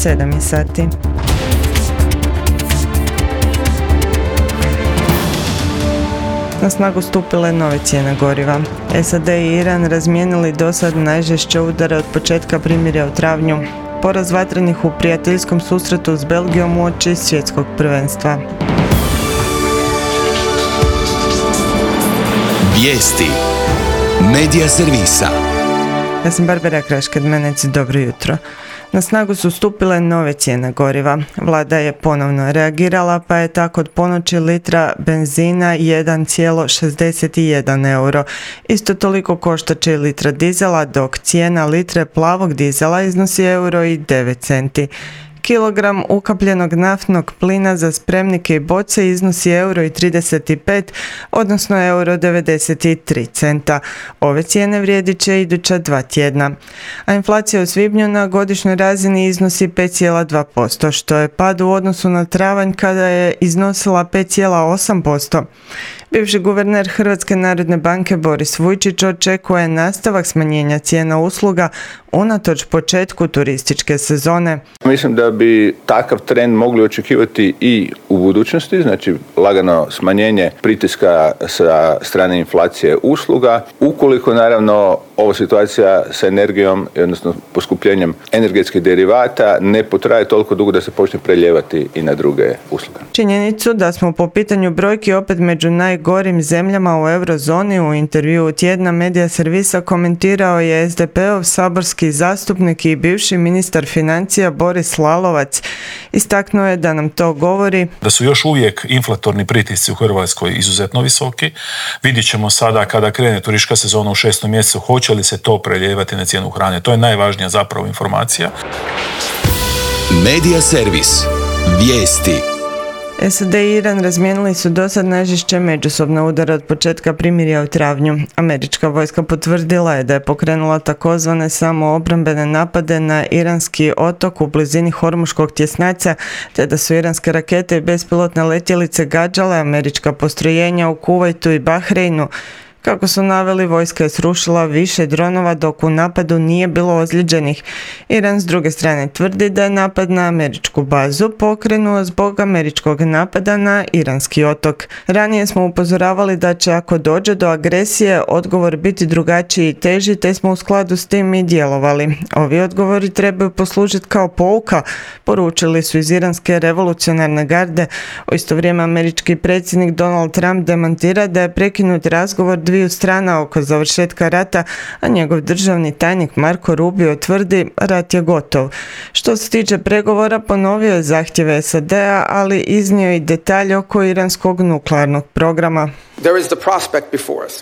7 sati. Na snagu stupile nove cijene goriva. SAD i Iran razmijenili dosad najžešće udare od početka primirja u travnju. Poraz vatrenih u prijateljskom susretu s Belgijom uoči svjetskog prvenstva. Vijesti Medija servisa. Ja sam Barbara Krašked-Menec, dobro jutro. Na snagu su stupile nove cijene goriva. Vlada je ponovno reagirala pa je tako od ponoći litra benzina 1,61 euro. Isto toliko koštat će i litra dizela, dok cijena litre plavog dizela iznosi euro i 9 centi. Kilogram ukapljenog naftnog plina za spremnike i boce iznosi euro i 35, odnosno euro 93 centa. Ove cijene vrijedit će iduća 2 tjedna. A inflacija u svibnju na godišnjoj razini iznosi 5,2%, što je pad u odnosu na travanj kada je iznosila 5,8%. Bivši guverner Hrvatske narodne banke Boris Vujčić očekuje nastavak smanjenja cijena usluga unatoč početku turističke sezone. Mislim da bi takav trend mogli očekivati i u budućnosti, znači lagano smanjenje pritiska sa strane inflacije usluga, ukoliko naravno ova situacija sa energijom, odnosno poskupljenjem energetskih derivata ne potraje toliko dugo da se počne preljevati i na druge usluge. Činjenicu da smo po pitanju brojki opet među najgorim zemljama u eurozoni u intervjuu tjedna Medija servisa komentirao je SDP-ov saborski zastupnik i bivši ministar financija Boris Lalovac. Istaknuo je da nam to govori da su još uvijek inflatorni pritisci u Hrvatskoj izuzetno visoki. Vidjet ćemo sada kada krene turistička sezona u 6. mjesecu, hoće li se to preljevati na cijenu hrane. To je najvažnija zapravo informacija. Medija servis. Vijesti. SAD i Iran razmijenili su dosad najžešće međusobne udare od početka primirja u travnju. Američka vojska potvrdila je da je pokrenula takozvane samoobrambene napade na iranski otok u blizini Hormuškog tjesnaca, te da su iranske rakete i bespilotne letjelice gađale američka postrojenja u Kuvajtu i Bahreinu. Kako su naveli, vojska je srušila više dronova dok u napadu nije bilo ozlijeđenih. Iran s druge strane tvrdi da je napad na američku bazu pokrenuo zbog američkog napada na iranski otok. Ranije smo upozoravali da će ako dođe do agresije odgovor biti drugačiji i teži, te smo u skladu s tim i djelovali. Ovi odgovori trebaju poslužiti kao pouka, poručili su iz iranske revolucionarne garde. U isto vrijeme američki predsjednik Donald Trump demantira da je prekinut razgovor dviju strana oko završetka rata, a njegov državni tajnik Marko Rubio tvrdi rat je gotov. Što se tiče pregovora, ponovio je zahtjeve SAD-a, ali iznio i detalje oko iranskog nuklearnog programa.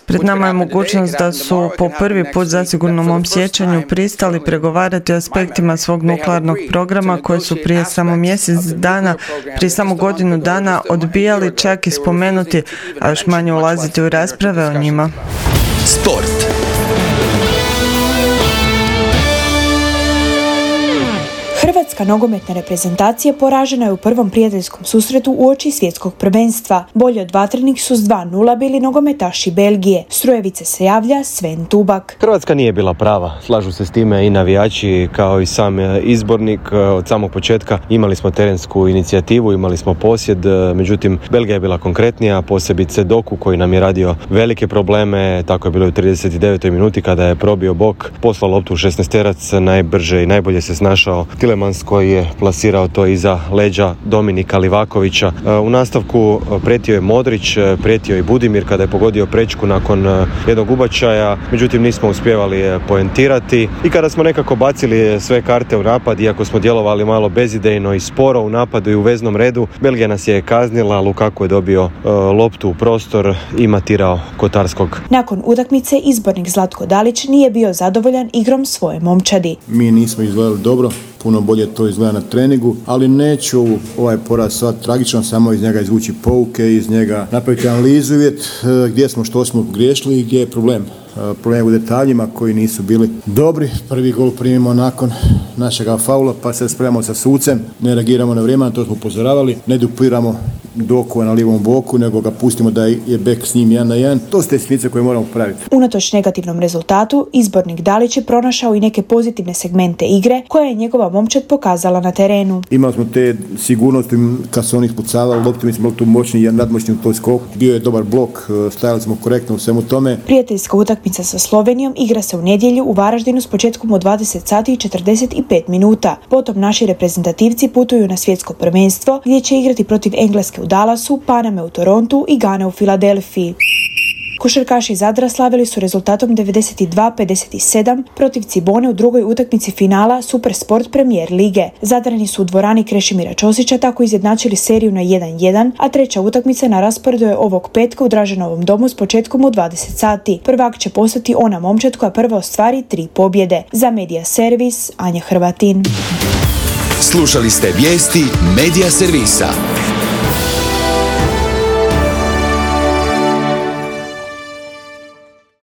Pred nama je mogućnost da su po prvi put zasigurno u mom sjećanju pristali pregovarati o aspektima svog nuklearnog programa koje su prije samo mjesec dana, prije samo godinu dana odbijali čak i spomenuti, a još manje ulaziti u rasprave o njima. Sport. Hrvatska nogometna reprezentacija poražena je u prvom prijateljskom susretu uoči svjetskog prvenstva. Bolje od vatrenih su s 2:0 bili nogometaši Belgije. S Rujevice se javlja Sven Tubak. Hrvatska nije bila prava. Slažu se s time i navijači kao i sam izbornik. Od samog početka imali smo terensku inicijativu, imali smo posjed, međutim Belgija je bila konkretnija, posebice Doku koji nam je radio velike probleme. Tako je bilo u 39. minuti kada je probio bok, poslao loptu u 16-terac, najbrže i najbolje se snašao Tilemans koji je plasirao to iza leđa Dominika Livakovića. U nastavku prijetio je Modrić, prijetio i Budimir kada je pogodio prečku nakon jednog ubačaja, međutim nismo uspjevali poentirati i kada smo nekako bacili sve karte u napad, iako smo djelovali malo bezidejno i sporo u napadu i u veznom redu, Belgija nas je kaznila, Lukaku je dobio loptu u prostor i matirao Kotarskog. Nakon utakmice izbornik Zlatko Dalić nije bio zadovoljan igrom svoje momčadi. Mi nismo izgledali dobro, puno bolje to izgleda na treningu, ali neću ovaj poraz sad tragično, samo iz njega izvući pouke, iz njega napraviti analizu i vidjeti gdje smo, što smo griješili i gdje je problem. Problem u detaljima koji nisu bili dobri. Prvi gol primimo nakon našega faula, pa se spremamo sa sucem, ne reagiramo na vrijeme, na to smo upozoravali, ne dupliramo Dokova na lijevom boku, nego ga pustimo da je bek s njim 1-1. To su te sitnice koje moramo praviti. Unatoč negativnom rezultatu, izbornik Dalić je pronašao i neke pozitivne segmente igre koje je njegova momčad pokazala na terenu. Imali smo te sigurnosti kad su oni ispucavali loptu, mi smo bili tu moćni i nadmoćni u toj skoku. Bio je dobar blok, stajali smo korektno u svemu tome. Prijateljska utakmica sa Slovenijom igra se u nedjelju u Varaždinu s početkom u 20 sati i 45 minuta. Potom naši reprezentativci putuju na svjetsko prvenstvo gdje će igrati protiv Engleske u Dallasu, Paname u Torontu i Gane u Filadelfiji. Košarkaši iz Zadra slavili su rezultatom 92-57 protiv Cibone u drugoj utakmici finala Supersport Premier lige. Zadrani su u dvorani Krešimira Ćosića tako izjednačili seriju na 1-1, a treća utakmica na rasporedu je ovog petka u Draženovom domu s početkom u 20 sati. Prvak će postati ona momčad koja prva ostvari 3 pobjede. Za Medija Servis, Anja Hrvatin. Slušali ste vijesti Medija Servisa.